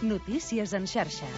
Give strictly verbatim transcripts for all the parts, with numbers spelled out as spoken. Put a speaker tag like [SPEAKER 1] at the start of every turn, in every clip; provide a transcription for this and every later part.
[SPEAKER 1] Notícies en xarxa.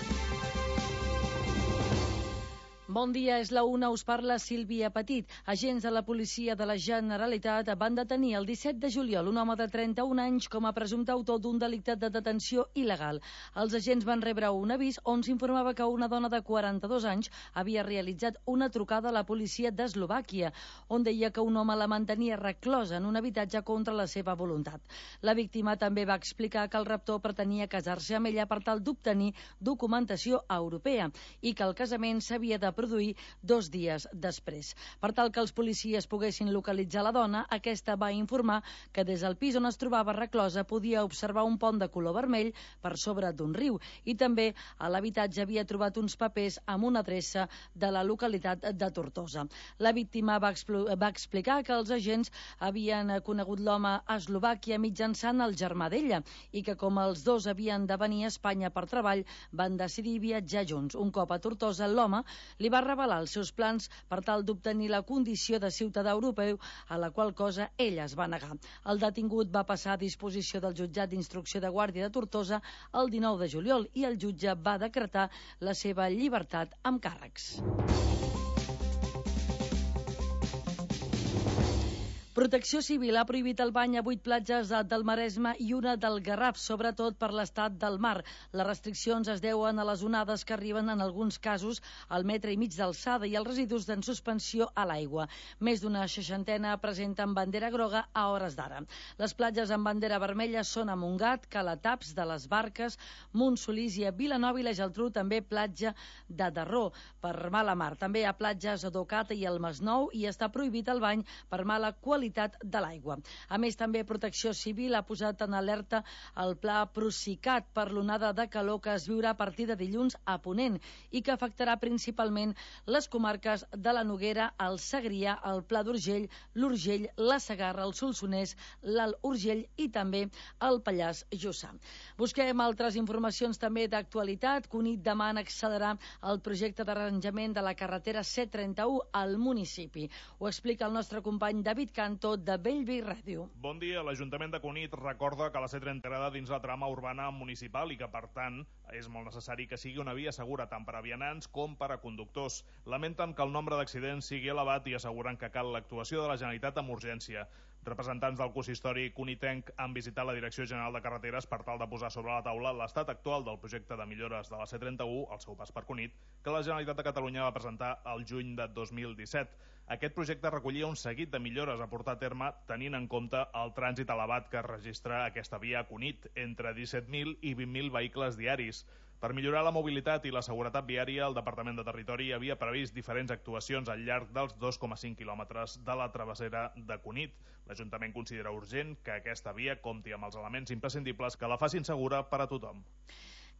[SPEAKER 2] Bon dia, és la una, us parla Sílvia Petit. Agents de la policia de la Generalitat van detenir el disset de juliol un home de trenta-un anys com a presumpte autor d'un delicte de detenció il·legal. Els agents van rebre un avís on s'informava que una dona de quaranta-dos anys havia realitzat una trucada a la policia d'Eslovàquia, on deia que un home la mantenia reclosa en un habitatge contra la seva voluntat. La víctima també va explicar que el raptor pretenia casar-se amb ella per tal d'obtenir documentació europea i que el casament s'havia de produir dos dies després. Per tal que els policies poguessin localitzar la dona, aquesta va informar que des del pis on es trobava reclosa podia observar un pont de color vermell per sobre d'un riu i també a l'habitatge havia trobat uns papers amb una adreça de la localitat de Tortosa. La víctima va, va explicar que els agents havien conegut l'home a Eslovàquia mitjançant el germà d'ella i que com els dos havien de venir a Espanya per treball van decidir viatjar junts. Un cop a Tortosa, l'home li va revelar els seus plans per tal d'obtenir la condició de ciutadà europeu, a la qual cosa ella es va negar. El detingut va passar a disposició del jutjat d'instrucció de Guàrdia de Tortosa el dinou de juliol i el jutge va decretar la seva llibertat amb càrrecs. Protecció Civil ha prohibit el bany a vuit platges del Maresme i una del Garraf, sobretot per l'estat del mar. Les restriccions es deuen a les onades que arriben en alguns casos al metre i mig d'alçada i els residus en suspensió a l'aigua. Més d'una seixantena presenten bandera groga a hores d'ara. Les platges amb bandera vermella són a Montgat, Calataps, de les Barques, Montsolís i a Vilanova i la Geltrú, també platja de Darró per mala mar. També hi ha platges a Docata i al Masnou i està prohibit el bany per mala qualitat de l'aigua. A més, també Protecció Civil ha posat en alerta el pla Procicat per l'onada de calor que es viurà a partir de dilluns a Ponent i que afectarà principalment les comarques de la Noguera, el Segrià, el Pla d'Urgell, l'Urgell, la Segarra, el Solsonès, l'Alt Urgell i també el Pallars Jussà. Busquem altres informacions també d'actualitat. Cunit demana accelerar el projecte d'arranjament de la carretera C trenta-u al municipi. Ho explica el nostre company David Canto de Bellvei Ràdio.
[SPEAKER 3] Bon dia. L'Ajuntament de Cunit recorda que la C trenta integrada dins la trama urbana municipal i que, per tant, és molt necessari que sigui una via segura tant per a vianants com per a conductors. Lamenten que el nombre d'accidents sigui elevat i asseguren que cal l'actuació de la Generalitat amb urgència. Representants del consistori cunitenc han visitat la Direcció General de Carreteres per tal de posar sobre la taula l'estat actual del projecte de millores de la C trenta-u, al seu pas per Cunit, que la Generalitat de Catalunya va presentar el juny de dos mil disset. Aquest projecte recollia un seguit de millores a portar a terme tenint en compte el trànsit elevat que registra aquesta via a Cunit, entre disset mil i vint mil vehicles diaris. Per millorar la mobilitat i la seguretat viària, el Departament de Territori havia previst diferents actuacions al llarg dels dos coma cinc quilòmetres de la travessera de Cunit. L'Ajuntament considera urgent que aquesta via compti amb els elements imprescindibles que la facin segura per a tothom.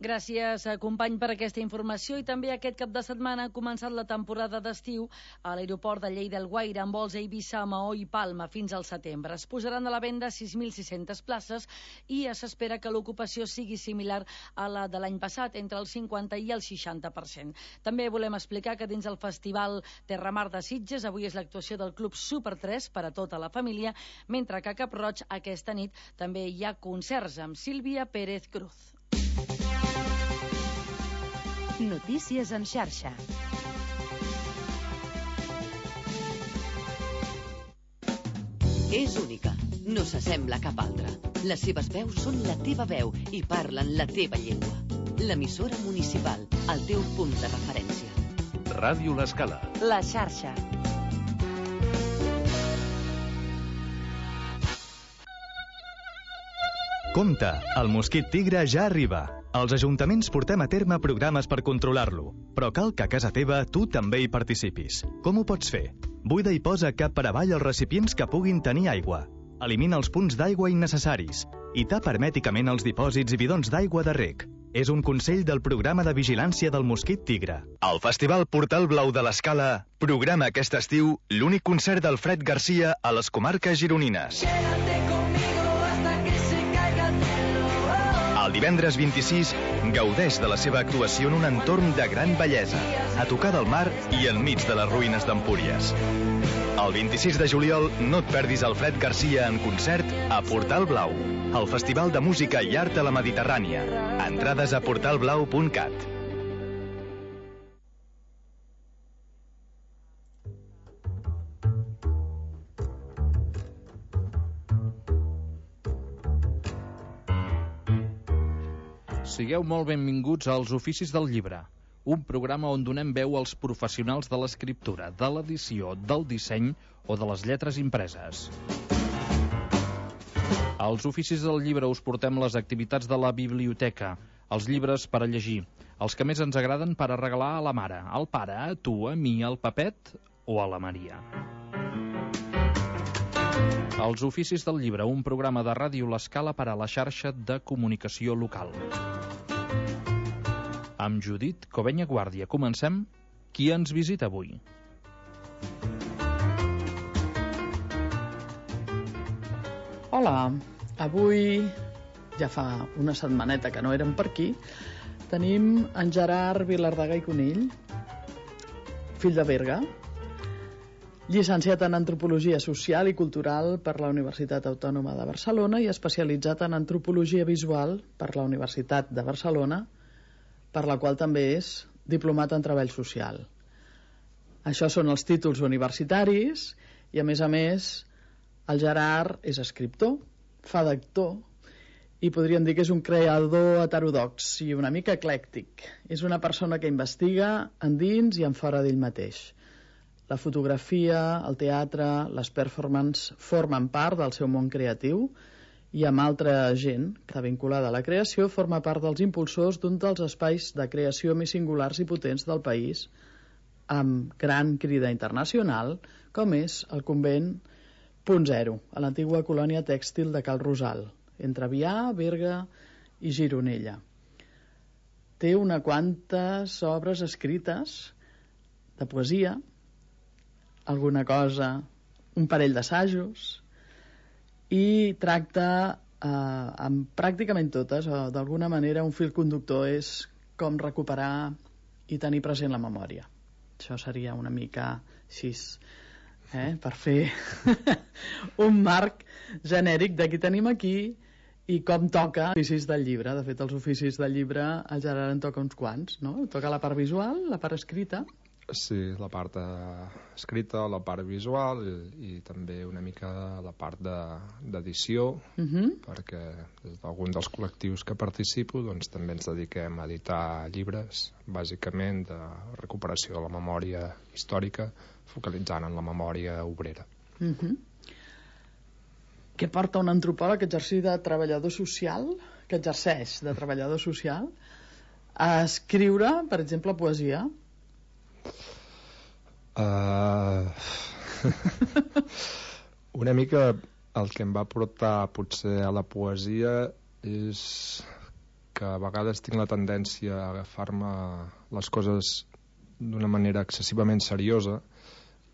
[SPEAKER 2] Gràcies, company, per aquesta informació. I també aquest cap de setmana ha començat la temporada d'estiu a l'aeroport de Lleida-Alguaire amb vols a Eivissa, Maó i Palma fins al setembre. Es posaran a la venda sis mil sis-centes places i s'espera que l'ocupació sigui similar a la de l'any passat, entre el cinquanta i el seixanta per cent. També volem explicar que dins el Festival Terramar de Sitges avui és l'actuació del Club Super tres per a tota la família, mentre que a Cap-roig aquesta nit també hi ha concerts amb Sílvia Pérez Cruz.
[SPEAKER 1] Notícies en xarxa.
[SPEAKER 4] És única, no s'assembla a cap altra. Les seves veus són la teva veu i parlen la teva llengua. L'emissora municipal, el teu punt de referència.
[SPEAKER 5] Ràdio L'Escala.
[SPEAKER 1] La xarxa.
[SPEAKER 6] Compte, el mosquit tigre ja arriba. Els ajuntaments portem a terme programes per controlar-lo, però cal que a casa teva tu també hi participis. Com ho pots fer? Buida i posa cap per avall els recipients que puguin tenir aigua. Elimina els punts d'aigua innecessaris i tapa hermèticament els dipòsits i bidons d'aigua de reg. És un consell del programa de vigilància del mosquit tigre. El Festival Portal Blau de l'Escala programa aquest estiu l'únic concert d'Alfred Garcia a les comarques gironines. El divendres vint-i-sis, gaudeix de la seva actuació en un entorn de gran bellesa, a tocar del mar i enmig de les ruïnes d'Empúries. El vint-i-sis de juliol no et perdis Alfred Garcia en concert a Portal Blau, el Festival de Música i Art a la Mediterrània. Entrades a portal blau punt cat.
[SPEAKER 5] Sigueu molt benvinguts als Oficis del Llibre, un programa on donem veu als professionals de l'escriptura, de l'edició, del disseny o de les lletres impreses. Als Oficis del Llibre us portem les activitats de la biblioteca, els llibres per a llegir, els que més ens agraden per a regalar a la mare, al pare, a tu, a mi, al Pepet o a la Maria. Els Oficis del Llibre, un programa de Ràdio L'Escala per a la xarxa de comunicació local. Amb Judit Covenya Guàrdia comencem. Qui ens visita avui?
[SPEAKER 7] Hola, avui, ja fa una setmaneta que no érem per aquí, tenim en Gerard Vilardagà i Conill, fill de Berga, llicenciat en Antropologia Social i Cultural per la Universitat Autònoma de Barcelona i especialitzat en Antropologia Visual per la Universitat de Barcelona, per la qual també és diplomat en Treball Social. Això són els títols universitaris i, a més a més, el Gerard és escriptor, fa d'actor i podríem dir que és un creador heterodox i una mica eclèctic. És una persona que investiga endins i en fora d'ell mateix. La fotografia, el teatre, les performances formen part del seu món creatiu i amb altra gent que està vinculada a la creació forma part dels impulsors d'un dels espais de creació més singulars i potents del país amb gran crida internacional com és el Convent Punt Zero, a l'antiga colònia tèxtil de Cal Rosal, entre Avià, Berga i Gironella. Té una quantes obres escrites de poesia, alguna cosa, un parell d'assajos, i tracta eh, amb pràcticament totes, o d'alguna manera un fil conductor és com recuperar i tenir present la memòria. Això seria una mica així, eh, per fer un marc genèric de qui tenim aquí i com toca els oficis del llibre. De fet, els oficis del llibre el Gerard en toca uns quants, no? Toca la part visual, la part escrita.
[SPEAKER 8] Sí, la part escrita, la part visual i, i també una mica la part d'edició, de, uh-huh. perquè des d'algun dels col·lectius que participo doncs, també ens dediquem a editar llibres, bàsicament de recuperació de la memòria històrica, focalitzant en la memòria obrera.
[SPEAKER 7] Uh-huh. Què porta un antropòleg que exerceix de treballador social, que exerceix de treballador social, a escriure, per exemple, poesia?
[SPEAKER 8] Uh, una mica el que em va portar potser a la poesia és que a vegades tinc la tendència a agafar-me les coses d'una manera excessivament seriosa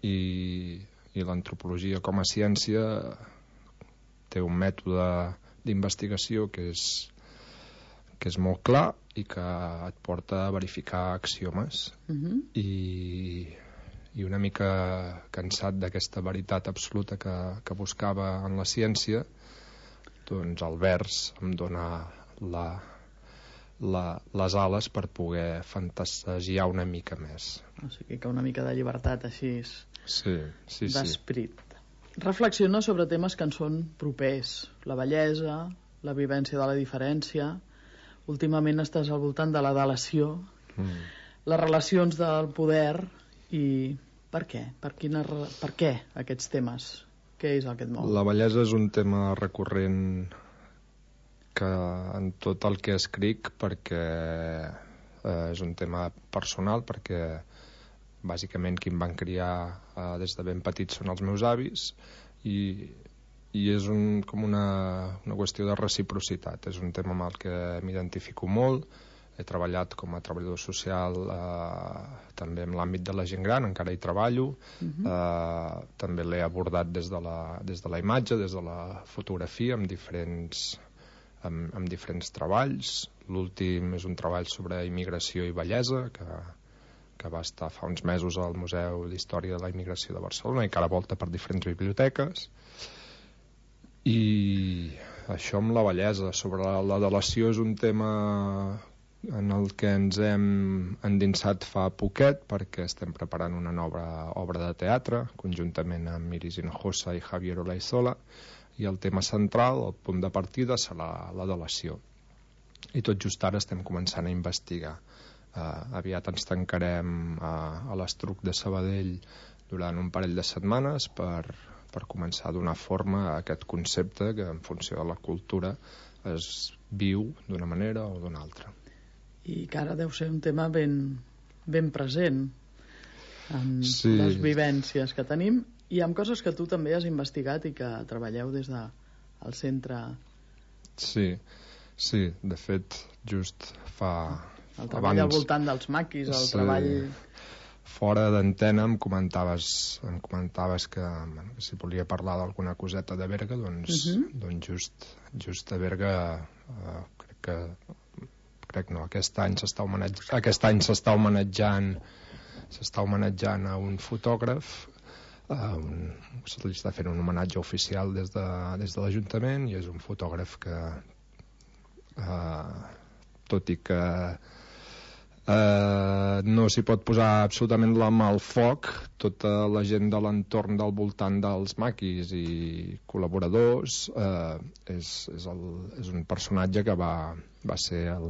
[SPEAKER 8] i, i l'antropologia com a ciència té un mètode d'investigació que és, que és molt clar i que et porta a verificar axiomes. Uh-huh. i, i una mica cansat d'aquesta veritat absoluta que, que buscava en la ciència, doncs el vers em dona la, la, les ales per poder fantasiar una mica més.
[SPEAKER 7] O sigui que una mica de llibertat així
[SPEAKER 8] sí, sí,
[SPEAKER 7] d'esperit. Sí. Reflexiona sobre temes que ens són propers, la bellesa, la vivència de la diferència. Últimament estàs al voltant de la delació, mm. les relacions del poder i per què? Per, quina, per què aquests temes? Què és el que et mou?
[SPEAKER 8] La bellesa és un tema recurrent que en tot el que escric perquè eh, és un tema personal, perquè bàsicament qui em van criar eh, des de ben petit són els meus avis i i és un, com una, una qüestió de reciprocitat. És un tema amb el que m'identifico molt. He treballat com a treballador social eh, també en l'àmbit de la gent gran, encara hi treballo. Uh-huh. eh, també l'he abordat des de, la, des de la imatge, des de la fotografia, amb diferents amb, amb diferents treballs. L'últim és un treball sobre immigració i bellesa, que, que va estar fa uns mesos al Museu d'Història de la Immigració de Barcelona i que ara volta per diferents biblioteques. I això amb la bellesa. Sobre la delació és un tema en el que ens hem endinsat fa poquet, perquè estem preparant una nova obra de teatre conjuntament amb Iris Hinojosa i Javier Olaizola, i el tema central, el punt de partida, serà la delació. I tot just ara estem començant a investigar. Uh, aviat ens tancarem a, a l'Estruc de Sabadell durant un parell de setmanes per, per començar a donar forma a aquest concepte que en funció de la cultura es viu d'una manera o d'una altra.
[SPEAKER 7] I que ara deu ser un tema ben, ben present amb
[SPEAKER 8] sí.
[SPEAKER 7] les vivències que tenim i amb coses que tu també has investigat i que treballeu des del de, centre.
[SPEAKER 8] Sí, sí, de fet just fa...
[SPEAKER 7] El treball abans, al voltant dels maquis, el sí, treball...
[SPEAKER 8] Fora d'antena em comentaves, em comentaves que, bueno, que si volia parlar d'alguna coseta de Berga, doncs, uh -huh. doncs just, just a Berga eh, crec que crec no, aquest any s'està homenatjant, aquest any s'està homenatjant s'està homenatjant a un fotògraf, uh, un, se li està fent un homenatge oficial des de, des de l'Ajuntament, i és un fotògraf que uh, tot i que Uh, no s'hi pot posar absolutament la mà al foc, tota la gent de l'entorn del voltant dels maquis i col·laboradors uh, és, és, el, és un personatge que va, va ser el,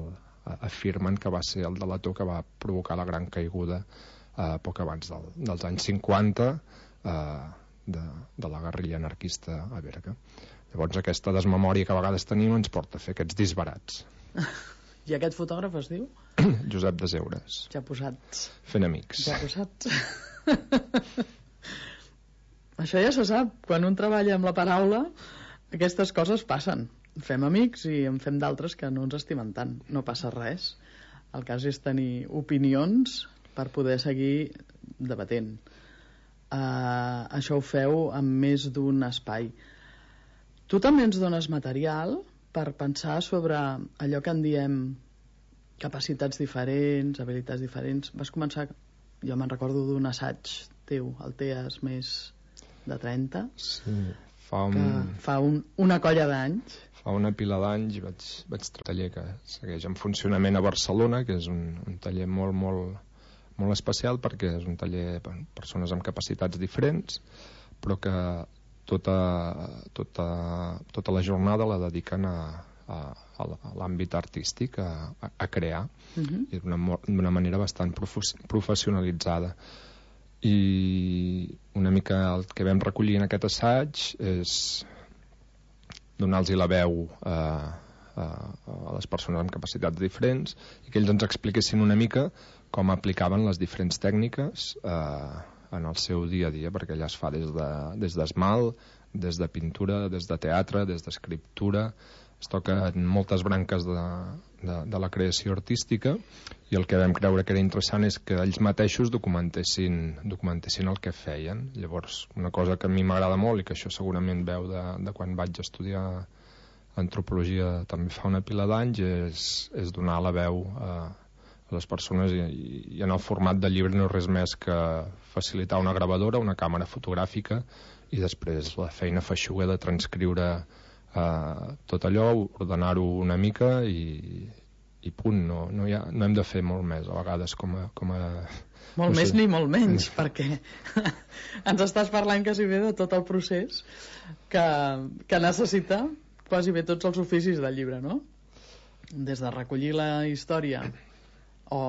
[SPEAKER 8] afirmen que va ser el delator que va provocar la gran caiguda uh, poc abans del, dels anys cinquanta uh, de, de la guerrilla anarquista a Berga. Llavors aquesta desmemòria que a vegades tenim ens porta a fer aquests disbarats.
[SPEAKER 7] I aquest fotògraf es diu?
[SPEAKER 8] Josep Deseures.
[SPEAKER 7] Ja posats.
[SPEAKER 8] Fent amics.
[SPEAKER 7] Ja posats. Això ja se sap. Quan un treballa amb la paraula, aquestes coses passen. Fem amics i en fem d'altres que no ens estimen tant. No passa res. El cas és tenir opinions per poder seguir debatent. Uh, això ho feu amb més d'un espai. Tu també ens dones material per pensar sobre allò que en diem capacitats diferents, habilitats diferents. Vas començar, jo me'n recordo d'un assaig teu, el Teas més de trenta,
[SPEAKER 8] sí, fa, un...
[SPEAKER 7] que fa un, una colla d'anys.
[SPEAKER 8] Fa una pila d'anys vaig, vaig treure un taller que segueix en funcionament a Barcelona, que és un, un taller molt, molt, molt especial, perquè és un taller per persones amb capacitats diferents, però que tota, tota, tota la jornada la dediquen a, a, a l'àmbit artístic, a, a crear, uh-huh. i d'una manera bastant professionalitzada. I una mica el que vam recollir en aquest assaig és donar-los la veu a, a, a les persones amb capacitats diferents i que ells ens expliquessin una mica com aplicaven les diferents tècniques eh, en el seu dia a dia, perquè ella es fa des de, des d'esmalt, des de pintura, des de teatre, des d'escriptura, es toca en moltes branques de, de, de la creació artística, i el que vam creure que era interessant és que ells mateixos documentessin, documentessin el que feien. Llavors, una cosa que a mi m'agrada molt i que això segurament veu de, de quan vaig estudiar antropologia també fa una pila d'anys és, és donar la veu a, a les persones, i, i en el format de llibre no és res més que facilitar una gravadora, una càmera fotogràfica, i després la feina feixuga de transcriure Uh, tot allò, ordenar-ho una mica i, i punt. No, no, ha, no hem de fer molt més a vegades com a... Com a
[SPEAKER 7] molt
[SPEAKER 8] no
[SPEAKER 7] més
[SPEAKER 8] sé.
[SPEAKER 7] Ni molt menys, perquè ens estàs parlant quasi bé de tot el procés que, que necessita quasi bé tots els oficis del llibre, no? Des de recollir la història o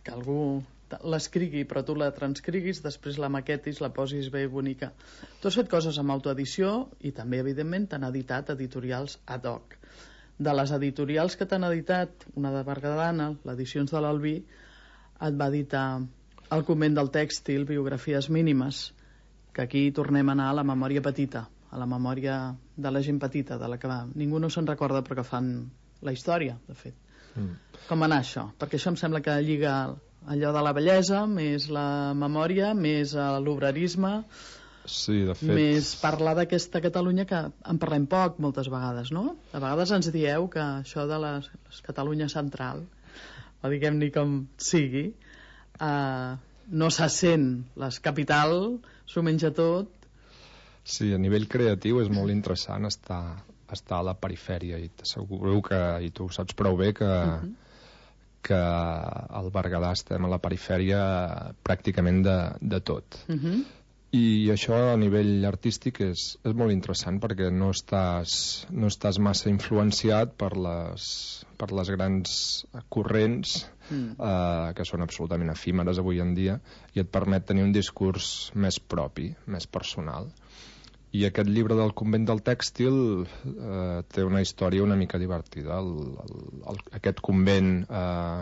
[SPEAKER 7] que algú l'escrigui però tu la transcriguis, després la maquetis, la posis bé bonica. Tu has fet coses amb autoedició i també evidentment t'han editat editorials ad hoc. De les editorials que t'han editat, una de Bergadana, l'Edicions de l'Albí, et va editar El Convent del Tèxtil, biografies mínimes, que aquí tornem a anar a la memòria petita, a la memòria de la gent petita, de la que va, ningú no se'n recorda però que fan la història, de fet. Mm. Com va anar això? Perquè això em sembla que lliga allò de la bellesa, més la memòria, més l'obrerisme.
[SPEAKER 8] Sí, de fet...
[SPEAKER 7] Més parlar d'aquesta Catalunya que en parlem poc moltes vegades, no? A vegades ens dieu que això de la Catalunya central, o diguem-ne com sigui, eh, no se sent. La capital s'ho menja tot.
[SPEAKER 8] Sí, a nivell creatiu és molt interessant estar, estar a la perifèria, i t'asseguro que, i tu ho saps prou bé, que... Uh-huh. que al Berguedà estem a la perifèria pràcticament de, de tot. Uh-huh. I això a nivell artístic és, és molt interessant perquè no estàs, no estàs massa influenciat per les, per les grans corrents mm. eh, que són absolutament efímeres avui en dia, i et permet tenir un discurs més propi, més personal. I aquest llibre del convent del tèxtil eh, té una història una mica divertida. El, el, el, aquest convent eh,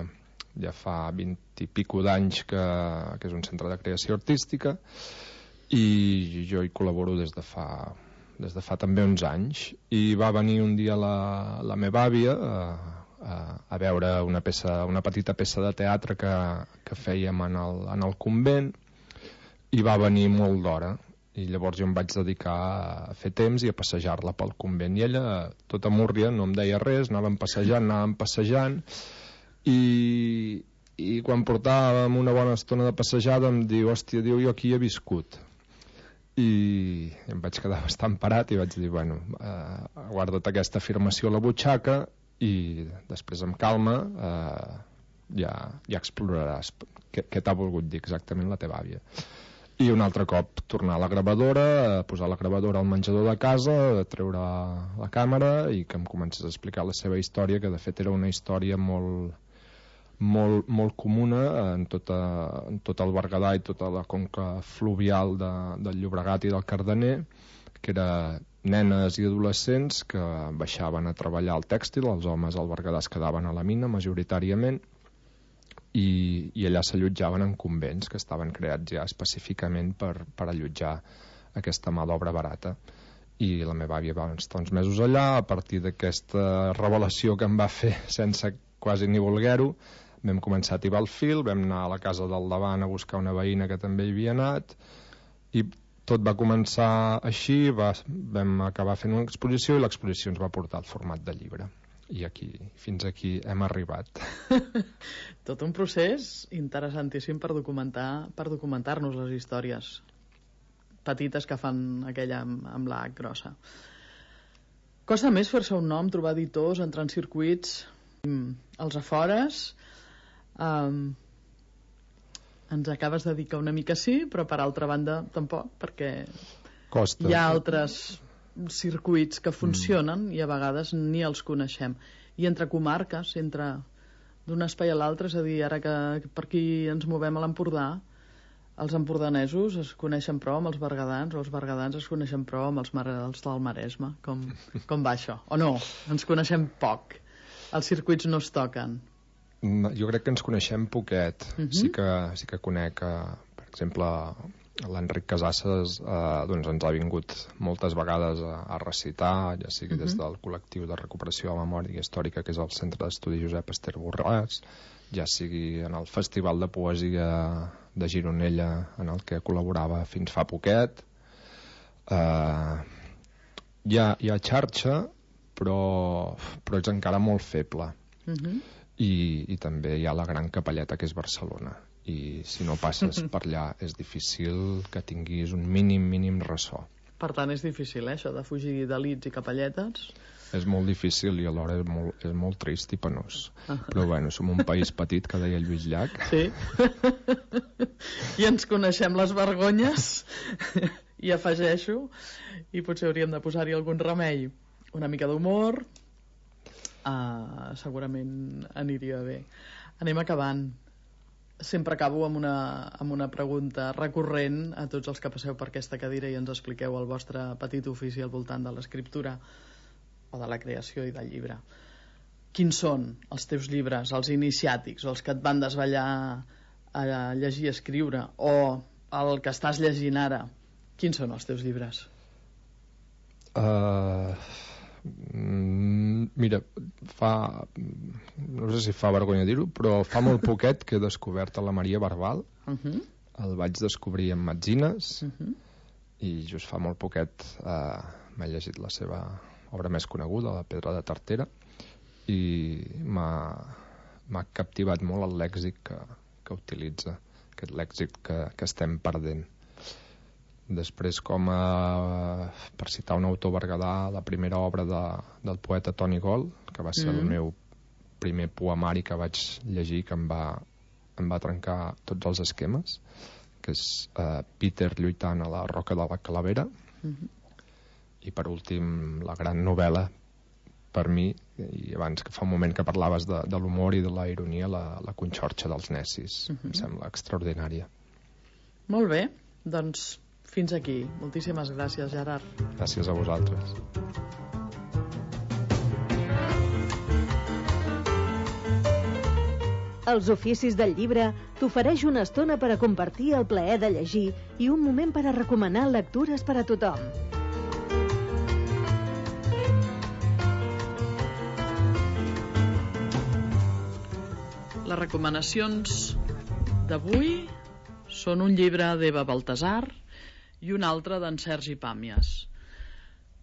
[SPEAKER 8] ja fa vint i pico d'anys que, que és un centre de creació artística, i jo hi col·laboro des de fa, des de fa també uns anys. I va venir un dia la, la meva àvia a, a, a veure una, peça, una petita peça de teatre que, que fèiem en el, en el convent, i va venir molt d'hora. I llavors jo em vaig dedicar a fer temps i a passejar-la pel convent. I ella, tota múrria, no em deia res, anàvem passejant, anàvem passejant, i, i quan portàvem una bona estona de passejada em diu, hòstia, diu, jo aquí he viscut. I em vaig quedar bastant parat i vaig dir, bueno, eh, guarda't aquesta afirmació a la butxaca i després amb calma eh, ja, ja exploraràs què, què t'ha volgut dir exactament la teva àvia. I un altre cop tornar a la gravadora, posar la gravadora al menjador de casa, treure la càmera i que em comences a explicar la seva història, que de fet era una història molt, molt, molt comuna en, tota, en tot el Berguedà i tota la conca fluvial de, del Llobregat i del Cardener, que era nenes i adolescents que baixaven a treballar al tèxtil. Els homes al Berguedà es quedaven a la mina majoritàriament, i, i allà s'allotjaven en convents que estaven creats ja específicament per, per allotjar aquesta mà d'obra barata. I la meva àvia va estar uns mesos allà. A partir d'aquesta revelació que em va fer sense quasi ni voler-ho, vam començar a tibar el fil, vam anar a la casa del davant a buscar una veïna que també hi havia anat, i tot va començar així. Va, vam acabar fent una exposició i l'exposició ens va portar al format de llibre. I aquí, fins aquí hem arribat.
[SPEAKER 7] Tot un procés interessantíssim per documentar, per documentar-nos les històries petites que fan aquella amb, amb la H grossa. Costa més fer-se un nom, trobar editors, entrar en circuits als afores. Um, ens acabes de dir que una mica sí, però per altra banda tampoc, perquè
[SPEAKER 8] Costa.
[SPEAKER 7] Hi ha altres circuits que funcionen mm. i a vegades ni els coneixem. I entre comarques, entre d'un espai a l'altre, és a dir, ara que per aquí ens movem a l'Empordà, els empordanesos es coneixen prou amb els berguedans, o els berguedans es coneixen prou amb els, mar els del Maresme. Com, com va això? O no? Ens coneixem poc. Els circuits no es toquen.
[SPEAKER 8] Jo crec que ens coneixem poquet. Uh-huh. Sí que, sí que conec, eh, per exemple, l'Enric Casasses, eh, doncs ens ha vingut moltes vegades a, a recitar, ja sigui uh-huh. des del col·lectiu de recuperació de la memòria històrica, que és el Centre d'Estudi Josep Ester Borràs, ja sigui en el Festival de Poesia de Gironella, en el que col·laborava fins fa poquet. Eh, hi, ha, hi ha xarxa, però, però és encara molt feble. Uh-huh. I, I també hi ha la gran capelleta, que és Barcelona. I si no passes per allà és difícil que tinguis un mínim, mínim ressò.
[SPEAKER 7] Per tant, és difícil, eh, això de fugir d'elits i capelletes?
[SPEAKER 8] És molt difícil i alhora és molt, és molt trist i penós. Ah. Però bueno, som un país petit, que deia Lluís Llach.
[SPEAKER 7] Sí. I ens coneixem les vergonyes, i afegeixo, i potser hauríem de posar-hi algun remei. Una mica d'humor, uh, segurament aniria bé. Anem acabant. Sempre acabo amb una, amb una pregunta recurrent a tots els que passeu per aquesta cadira i ens expliqueu el vostre petit ofici al voltant de l'escriptura o de la creació i del llibre. Quins són els teus llibres, els iniciàtics, o els que et van desvetllar a llegir i escriure, o el que estàs llegint ara? Quins són els teus llibres?
[SPEAKER 8] Uh, mira, fa no sé si fa vergonya dir-ho, però fa molt poquet que he descobert a la Maria Barbal. Uh-huh. El vaig descobrir en Metzines. Uh-huh. i just fa molt poquet eh, m'he llegit la seva obra més coneguda, La pedra de Tartera, i m'ha captivat molt el lèxic que, que utilitza, aquest lèxic que, que estem perdent. Després, com a, per citar un autor berguedà, la primera obra de, del poeta Toni Gol, que va ser mm. el meu primer poemari que vaig llegir, que em va, em va trencar tots els esquemes, que és uh, Peter lluitant a la roca de la Calavera. Mm-hmm. I per últim, la gran novel·la per mi, i abans que fa un moment que parlaves de, de l'humor i de la ironia, la, la Conxorxa dels Necis. Mm-hmm. Em sembla extraordinària.
[SPEAKER 7] Molt bé, doncs fins aquí. Moltíssimes gràcies, Gerard.
[SPEAKER 8] Gràcies a vosaltres.
[SPEAKER 9] Els Oficis del Llibre t'ofereix una estona per a compartir el plaer de llegir i un moment per a recomanar lectures per a tothom.
[SPEAKER 7] Les recomanacions d'avui són un llibre d'Eva Baltasar i un altre d'en Sergi Pàmies.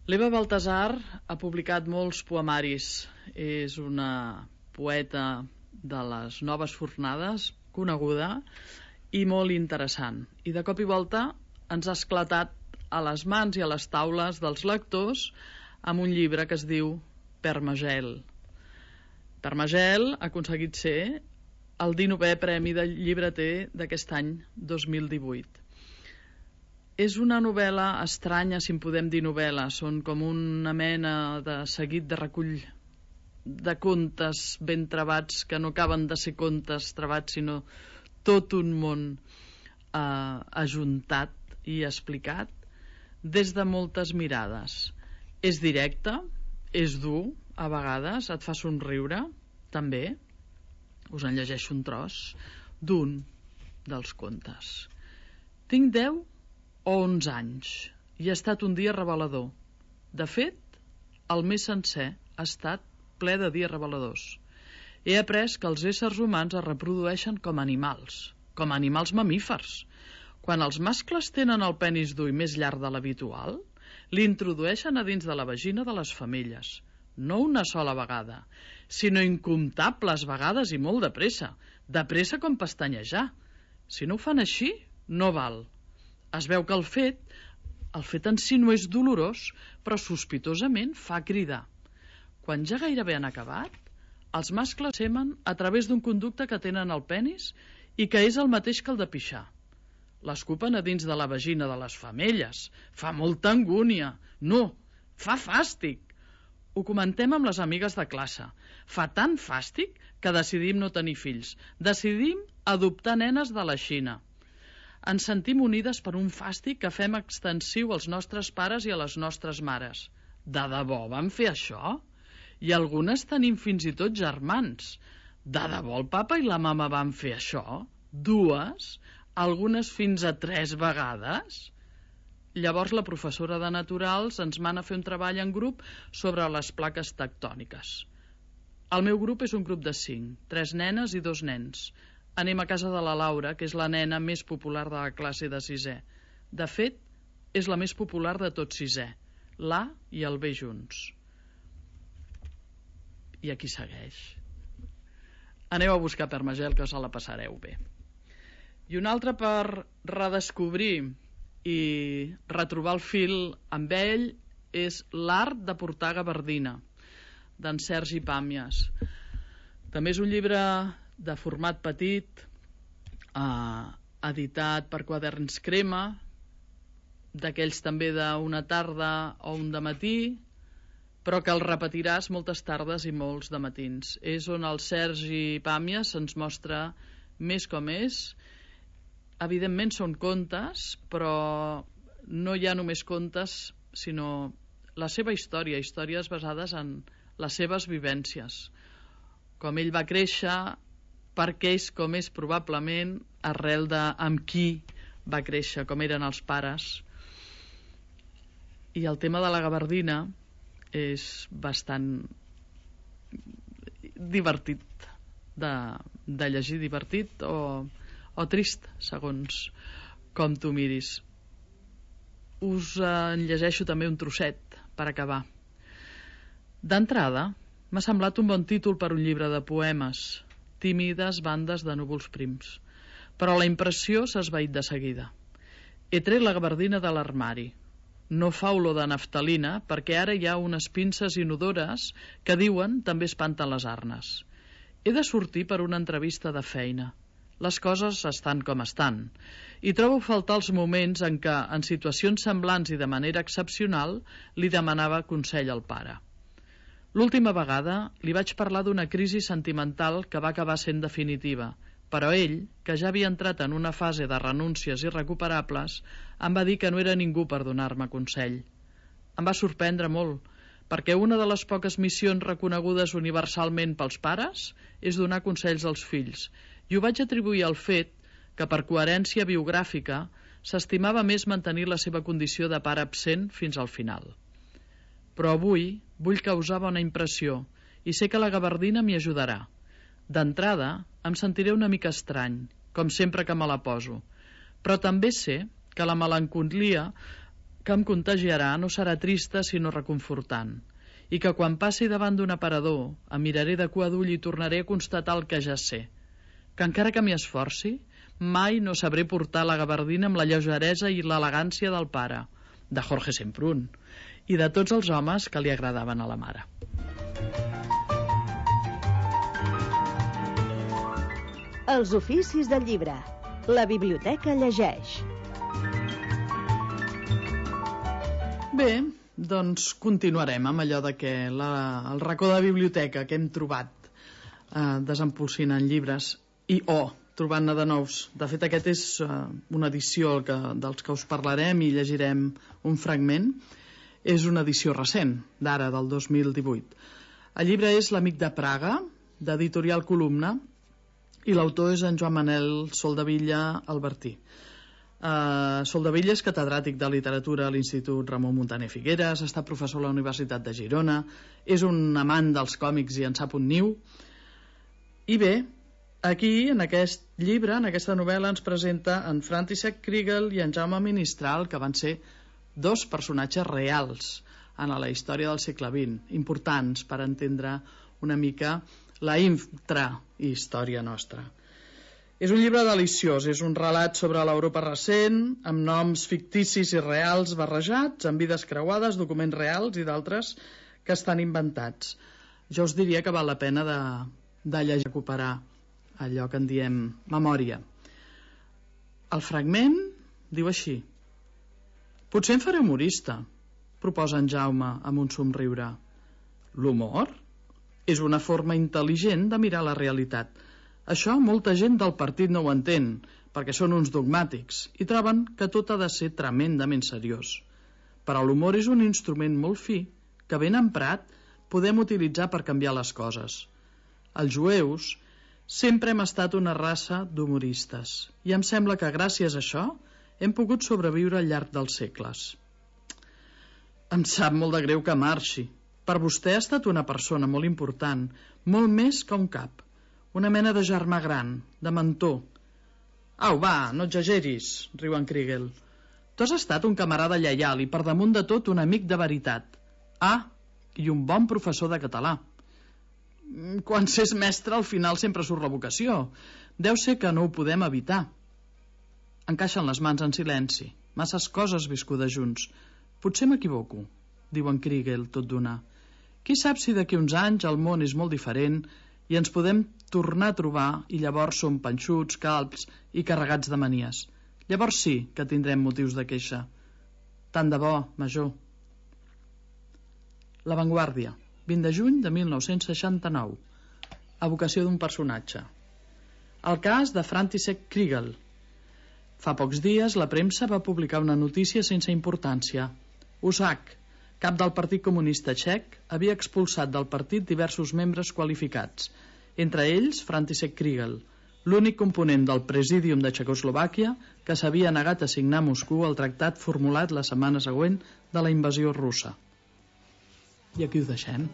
[SPEAKER 7] L'Eva Baltasar ha publicat molts poemaris. És una poeta de les noves fornades, coneguda i molt interessant. I de cop i volta ens ha esclatat a les mans i a les taules dels lectors amb un llibre que es diu Permagel. Permagel ha aconseguit ser el dinovè Premi de Llibreter d'aquest any dos mil divuit. És una novel·la estranya, si en podem dir novel·la. Són com una mena de seguit de recull de contes ben trebats, que no acaben de ser contes trebats, sinó tot un món eh, ajuntat i explicat des de moltes mirades. És directe, és dur, a vegades et fa somriure, també. Us en llegeixo un tros d'un dels contes. Tinc deu o onze anys i ha estat un dia revelador. De fet, el mes sencer ha estat ple de dies reveladors. He après que els éssers humans es reprodueixen com animals, com animals mamífers. Quan els mascles tenen el penis dur i més llarg de l'habitual, l'introdueixen a dins de la vagina de les femelles. No una sola vegada, sinó incomptables vegades i molt de pressa, de pressa com pestanyejar. Si no ho fan així, no val. Es veu que el fet, el fet en si no és dolorós, però sospitosament fa cridar. Quan ja gairebé han acabat, els mascles semen a través d'un conducte que tenen al penis i que és el mateix que el de pixar. L'escupen a dins de la vagina de les femelles. Fa molta angúnia. No, fa fàstic. Ho comentem amb les amigues de classe. Fa tant fàstic que decidim no tenir fills. Decidim adoptar nenes de la Xina. Ens sentim unides per un fàstic que fem extensiu als nostres pares i a les nostres mares. De debò vam fer això? I algunes tenim fins i tot germans. De debò el papa i la mama van fer això? Dues? Algunes fins a tres vegades? Llavors la professora de naturals ens mana a fer un treball en grup sobre les plaques tectòniques. El meu grup és un grup de cinc, tres nenes i dos nens. Anem a casa de la Laura, que és la nena més popular de la classe de sisè. De fet, és la més popular de tot sisè. L'A i el B junts. I aquí segueix. Aneu a buscar Permagel, que us la passareu bé. I un altre per redescobrir i retrobar el fil amb ell és L'art de portar gabardina, d'en Sergi Pàmies. També és un llibre de format petit, eh, editat per Quaderns Crema, d'aquells també d'una tarda o un dematí, però que el repetiràs moltes tardes i molts dematins. És on el Sergi Pàmies ens mostra més com és. Evidentment són contes, però no hi ha només contes, sinó la seva història, històries basades en les seves vivències. Com ell va créixer, per què és com és probablement, arrel de amb qui va créixer, com eren els pares. I el tema de la gabardina és bastant divertit de, de llegir, divertit o, o trist, segons com tu miris. us en llegeixo també un trosset per acabar. D'entrada, m'ha semblat un bon títol per un llibre de poemes, tímides bandes de núvols prims, però la impressió s'ha esvaït de seguida. He tret la gabardina de l'armari. No fa olor de naftalina perquè ara hi ha unes pinces inodores que diuen també espanten les arnes. He de sortir per una entrevista de feina. Les coses estan com estan, i trobo faltar els moments en què, en situacions semblants i de manera excepcional, li demanava consell al pare. L'última vegada li vaig parlar d'una crisi sentimental que va acabar sent definitiva, però ell, que ja havia entrat en una fase de renúncies irrecuperables, em va dir que no era ningú per donar-me consell. Em va sorprendre molt, perquè una de les poques missions reconegudes universalment pels pares és donar consells als fills, i ho vaig atribuir al fet que, per coherència biogràfica, s'estimava més mantenir la seva condició de pare absent fins al final. Però avui vull causar bona impressió i sé que la gabardina m'hi ajudarà. D'entrada, em sentiré una mica estrany, com sempre que me la poso, però també sé que la melancolia que em contagiarà no serà trista sinó reconfortant, i que quan passi davant d'un aparador em miraré de cua d'ull i tornaré a constatar el que ja sé, que encara que m'hi esforci, mai no sabré portar la gabardina amb la lleugeresa i l'elegància del pare, de Jorge Semprún, i de tots els homes que li agradaven a la mare.
[SPEAKER 9] Els oficis del llibre. La biblioteca llegeix.
[SPEAKER 7] Bé, doncs continuarem amb allò de que la, el racó de biblioteca que hem trobat eh, desempolsinant llibres i o oh, trobant-ne de nous. De fet, aquest és eh, una edició que, dels que us parlarem i llegirem un fragment. És una edició recent, d'ara, del dos mil divuit. El llibre és L'amic de Praga, d'Editorial Columna, i l'autor és en Joan Manel Soldevilla Albertí. Uh, Soldevilla és catedràtic de literatura a l'Institut Ramon Muntaner Figueres, ha estat professor a la Universitat de Girona, és un amant dels còmics i en sap un niu. I bé, aquí, en aquest llibre, en aquesta novel·la, ens presenta en František Kriegel i en Jaume Ministral, que van ser dos personatges reals en la història del segle vint, importants per entendre una mica la intrahistòria nostra. És un llibre deliciós, és un relat sobre l'Europa recent, amb noms ficticis i reals barrejats, amb vides creuades, documents reals i d'altres que estan inventats. Jo us diria que val la pena de, de llegir, recuperar allò que en diem memòria. El fragment diu així: potser em faré humorista, proposa en Jaume amb un somriure. L'humor és una forma intel·ligent de mirar la realitat. Això molta gent del partit no ho entén, perquè són uns dogmàtics i troben que tot ha de ser tremendament seriós. Però l'humor és un instrument molt fi que, ben emprat, podem utilitzar per canviar les coses. Els jueus sempre hem estat una raça d'humoristes i em sembla que gràcies a això hem pogut sobreviure al llarg dels segles. Em sap molt de greu que marxi. Per vostè ha estat una persona molt important, molt més que un cap. Una mena de germà gran, de mentor. Au, va, no exageris, riu en Kriegel. Tu has estat un camarada lleial i per damunt de tot un amic de veritat. Ah, i un bon professor de català. Quan s'és mestre al final sempre surt la vocació. Deu ser que no ho podem evitar. Encaixen les mans en silenci. Masses coses viscudes junts. Potser m'equivoco, diu en Kriegel tot d'una. Qui sap si d'aquí uns anys el món és molt diferent i ens podem tornar a trobar i llavors som panxuts, calbs i carregats de manies. Llavors sí que tindrem motius de queixa. Tant de bo, major. La Vanguardia, vint de juny de mil nou-cents seixanta-nou. Evocació d'un personatge. El cas de František Kriegel. Fa pocs dies la premsa va publicar una notícia sense importància. Usak, cap del Partit Comunista Txec, havia expulsat del partit diversos membres qualificats, entre ells František Kriegel, l'únic component del Presídium de Txecoslovàquia que s'havia negat a signar a Moscou el tractat formulat la setmana següent de la invasió russa. I aquí ho deixem.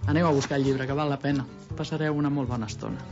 [SPEAKER 7] Aneu a buscar el llibre, que val la pena. Passareu una molt bona estona.